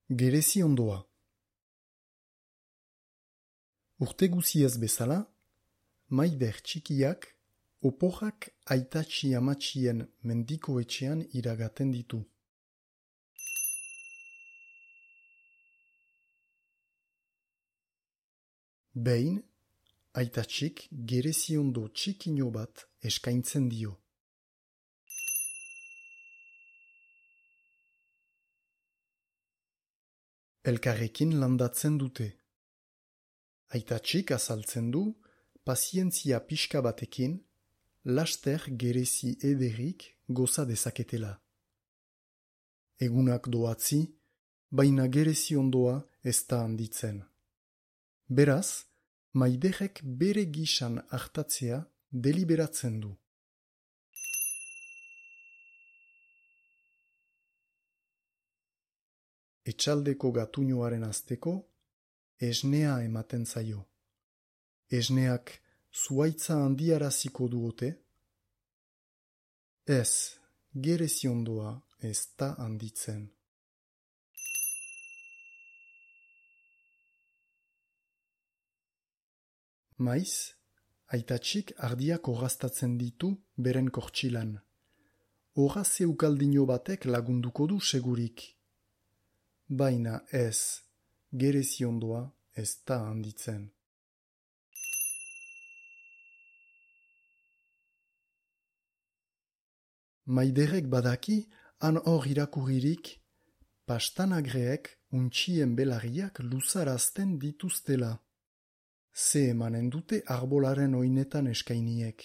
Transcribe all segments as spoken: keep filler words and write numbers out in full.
Gerezi ondoa. Urte guziaz bezala, maider txikiak oporrak aitatxi amatxien mendiko etxean iragaten ditu. Behin, aitatxik gerezi ondo txikino bat eskaintzen dio. Elkarrekin landatzen dute. Aitatxik azaltzen du, pazientzia pixka batekin, laster gerezi ederrik goza dezaketela. Egunak doatzi, baina gerezi ondoa ez da handitzen. Beraz, maiderek bere gisan hartatzea deliberatzen du. Etxaldeko gatuñoaren azteko, esnea ematen zaio. Esneak zuaitza handiaraziko du ote? Ez, gerezi ondoa ez da handitzen. Maiz, aitatxik ardiak orraztatzen ditu beren kortxilan. Horra zeukaldino batek lagunduko du segurik. Baina ez, gerezi ondoa ez da handitzen. Maiderek badaki, han hor irakurririk, pastanagreek untxien belarriak luzarazten dituztela. Ze emanen dute arbolaren oinetan eskainiek.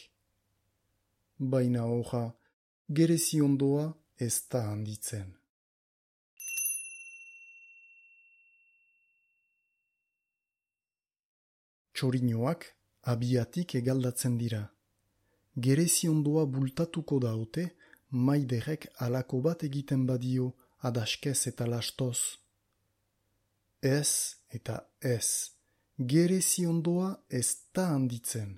Baina horra, gerezi ondoa ez da handitzen. Txorinoak abiatik egaldatzen dira. Gerezi ondoa bultatuko da ote, maiderek alako bat egiten badio adaskez eta lastoz. Ez eta ez, gerezi ondoa ez da handitzen.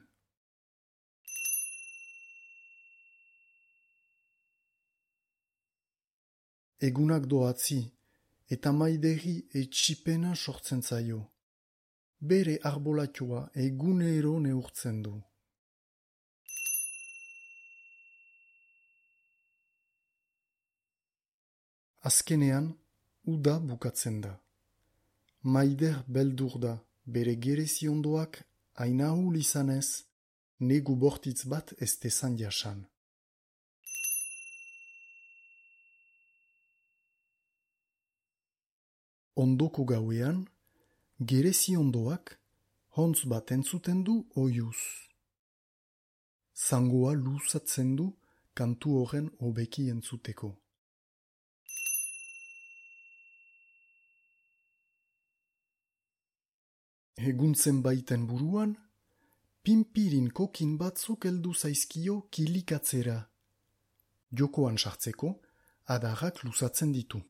Egunak doatzi, eta maideri etxipena sortzen zaio. Bere arbolatioa egunero neurtzen du. Azkenean, uda bukatzen da. Maider beldur da, bere gerezi ondoak hainahul izanez, negu bortitz bat ez dezan jasan. Ondoko gauean, gerezi ondoak hontz bat entzuten du oiuz. Zangoa luzatzen du kantu horren hobeki entzuteko. Eguntzen baiten buruan, pinpirin kokin batzuk heldu zaizkio kilikatzera. Jokoan sartzeko, adarrak luzatzen ditu.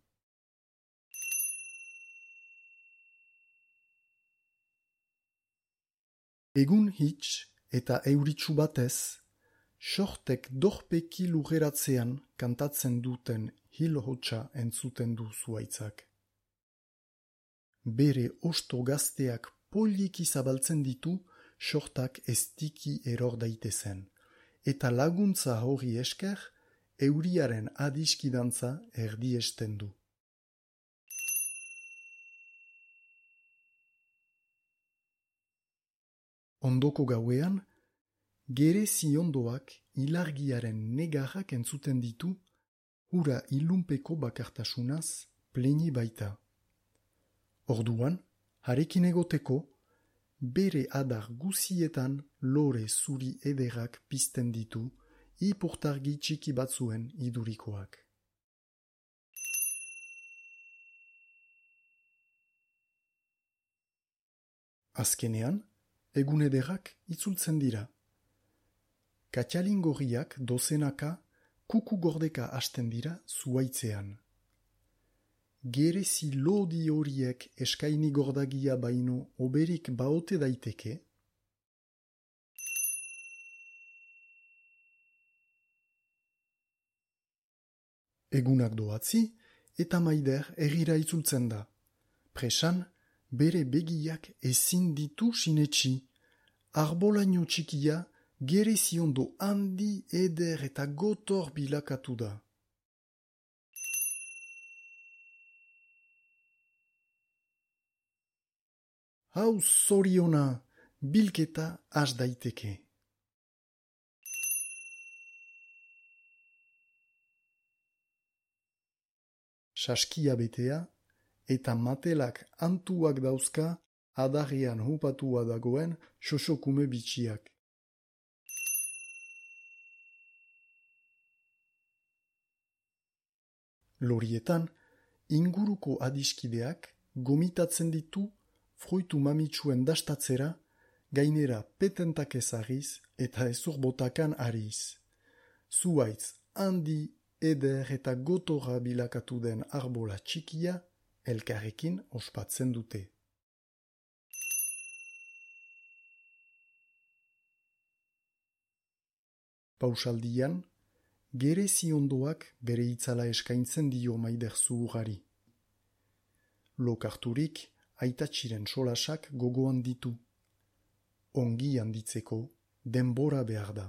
Egun hitz eta euritsu batez, sortek dorpeki lugeratzean kantatzen duten hil-hotsa entzuten du zuaitzak. Bere osto gazteak poliki zabaltzen ditu sortak estiki eror daitezen, eta laguntza hori esker euriaren adiskidantza erdiesten du. Ondoko gauean, gerezi ondoak ilargiaren negarrak entzuten ditu, hura ilunpeko bakartasunaz pleni baita. Orduan, harekin egoteko, bere adar guzietan lore zuri ederrak pizten ditu, ipurtargi txiki batzuen idurikoak. Azkenean, egun ederrak itzultzen dira. Katxalingorriak dozenaka kuku gordeka hasten dira zuaitzean. Gerezi lodi horiek eskaini gordagia baino oberik baote daiteke? Egunak doatzi eta maider herrira itzultzen da. Presan, bere begiak ezin ditu sinetsi. Arbolaino txikia gereziondo handi eder eta gotor bilakatu da. Hau zoriona, bilketa has daiteke. Saskia betea eta matelak antuak dauzka adarrean hupatua dagoen xoxokume bitxiak. Lorietan, inguruko adiskideak gomitatzen ditu fruitu mamitsuen dastatzera, gainera petentak ezagiz eta ezurbotakan ariz. Zuaitz handi eder eta gotorra bilakatu den arbola txikia elkarrekin ospatzen dute. Pausaldian, gereziondoak bere itzala eskaintzen dio maider zuhurari. Lokarturik, aitatxiren solasak gogoan ditu. Ongi handitzeko denbora behar da.